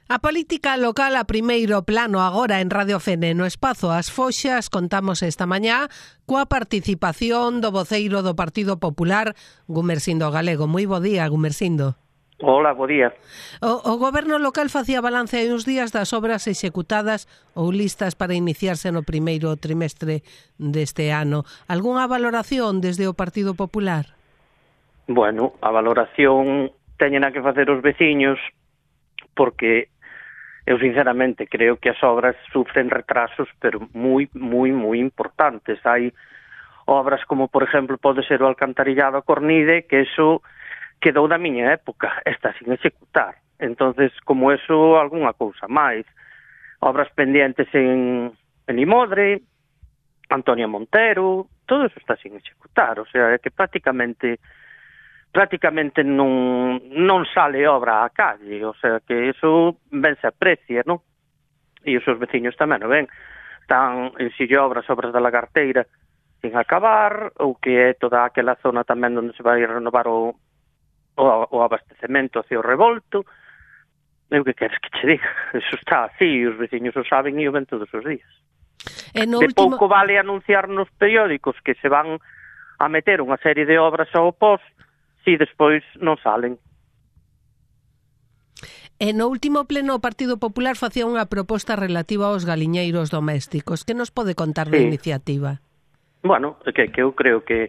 A política local a primeiro plano agora en Radio Fene. No espazo As Foxas contamos esta mañá coa participación do voceiro do Partido Popular, Gumersindo Galego. Moi bo día, Gumersindo. Hola, bo día. O goberno local facía balance hai uns días das obras executadas ou listas para iniciarse no primeiro trimestre deste ano. Algúnha valoración desde o Partido Popular? Bueno, a valoración teñen a que facer os veciños, porque eu sinceramente creo que as obras sufren retrasos, pero moi importantes. Hai obras como, por exemplo, pode ser o alcantarillado a Cornide, que eso quedou da miña época, está sin executar. Entonces, como eso, algunha cousa máis. Obras pendientes en Imodre, Antonia Montero, todo eso está sin executar. O sea, é que prácticamente non sale obra á calle, o sea que eso ben se aprecia, non? E os seus veciños tamén o ven. Están en sille obras da Lagarteira sin acabar, ou que é toda aquela zona tamén onde se vai renovar o abastecemento hacia o Revolto. Eu que queres que che diga? Eso está así, os veciños o saben e o ven todos os días. De pouco vale anunciar nos periódicos que se van a meter unha serie de obras ao pos e despois non salen. E no último pleno o Partido Popular facía unha proposta relativa aos galiñeiros domésticos. Que nos pode contar da iniciativa? Bueno, que eu creo que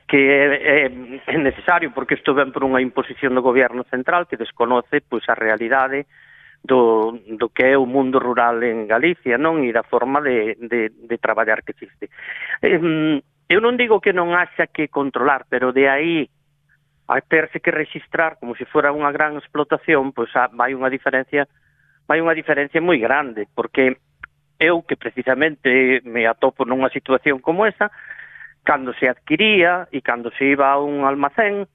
é necesario, porque isto ven por unha imposición do goberno central que desconoce pois a realidade do que é o mundo rural en Galicia, non? E da forma de traballar que existe. Eu non digo que non haxa que controlar, pero de aí a terse que registrar como se fora unha gran explotación, pois vai unha diferencia moi grande, porque eu que precisamente me atopo nunha situación como esa, cando se adquiría e cando se iba a un almacén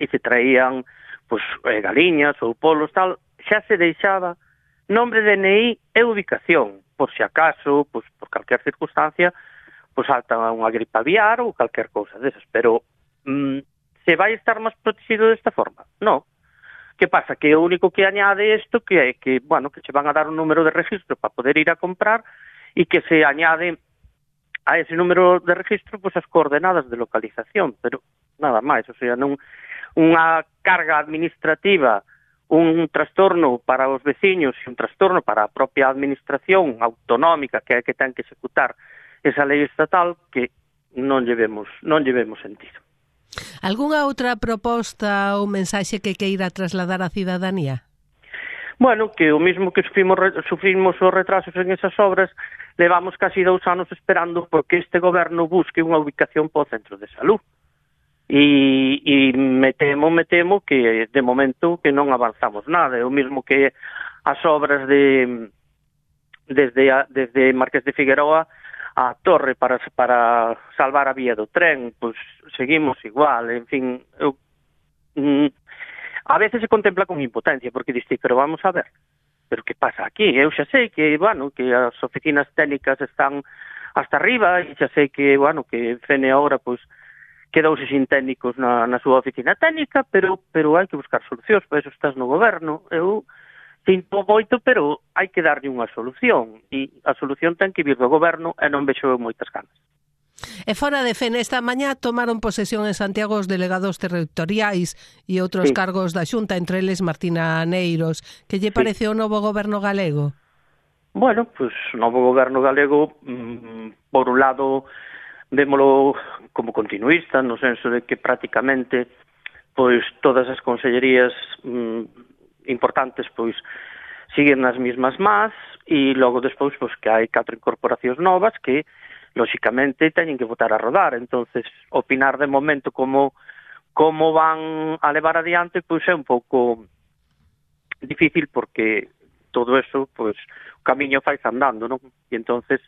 e se traían pois galiñas ou polos tal, xa se deixaba nombre de DNI e ubicación, por se acaso, pois por calquer circunstancia, pois salta unha gripe aviar ou calquer cousa desas, pero se vai estar máis protegido desta forma? No. Que pasa? Que o único que añade isto que é que, bueno, que che van a dar un número de registro para poder ir a comprar e que se añade a ese número de registro pois as coordenadas de localización, pero nada máis, o sea, non unha carga administrativa, un trastorno para os veciños e un trastorno para a propia administración autonómica que é que ten que executar esa lei estatal que non lle vemos sentido. Algúnha outra proposta ou mensaxe que queira trasladar á cidadanía? Bueno, que o mismo que sufrimos os retrasos en esas obras, levamos casi 2 anos esperando porque este goberno busque unha ubicación para o centro de salud. E me temo que de momento que non avanzamos nada. É o mismo que as obras desde Marqués de Figueroa a torre para salvar a vía do tren, pois seguimos igual, en fin, a veces se contempla con impotencia, porque diste, pero vamos a ver, pero que pasa aquí? Eu xa sei que, bueno, que as oficinas técnicas están hasta arriba, e xa sei que, bueno, que Fene ahora, pois, quedouse sin técnicos na súa oficina técnica, pero hai que buscar solucións, para eso estás no goberno. Eu sinto moito, pero hai que darlle unha solución, e a solución ten que vir do goberno e non vexo moitas ganas. E fora de Fene, esta mañá tomaron posesión en Santiago os delegados territoriais e outros cargos da Xunta, entre eles Martina Aneiros. Que lle parece o novo goberno galego? Bueno, pois o novo goberno galego, por un lado, vémolo como continuista, no senso de que prácticamente pois todas as consellerías importantes pois siguen nas mismas más, e logo despois pois que hai 4 incorporacións novas que lóxicamente teñen que botar a rodar. Entonces opinar de momento como van a levar adiante pois é un pouco difícil, porque todo eso pois o camiño fai andando, non? E entonces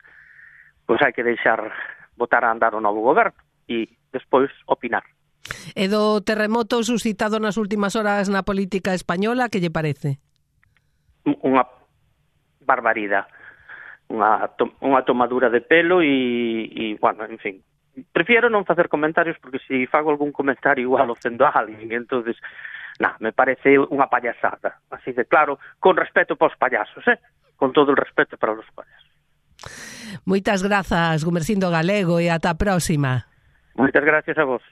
pois hai que deixar botar a andar o novo goberno e despois opinar. E do terremoto suscitado nas últimas horas na política española, que lle parece? Unha barbaridade, unha tomadura de pelo e, bueno, en fin, prefiero non facer comentarios porque se fago algún comentario igual ofendo a alguén, entonces me parece unha payasada. Así de claro, con respeto para os payasos, con todo o respeto para os payasos. Moitas grazas, Gumersindo Galego, e ata a próxima. Moitas gracias a vos.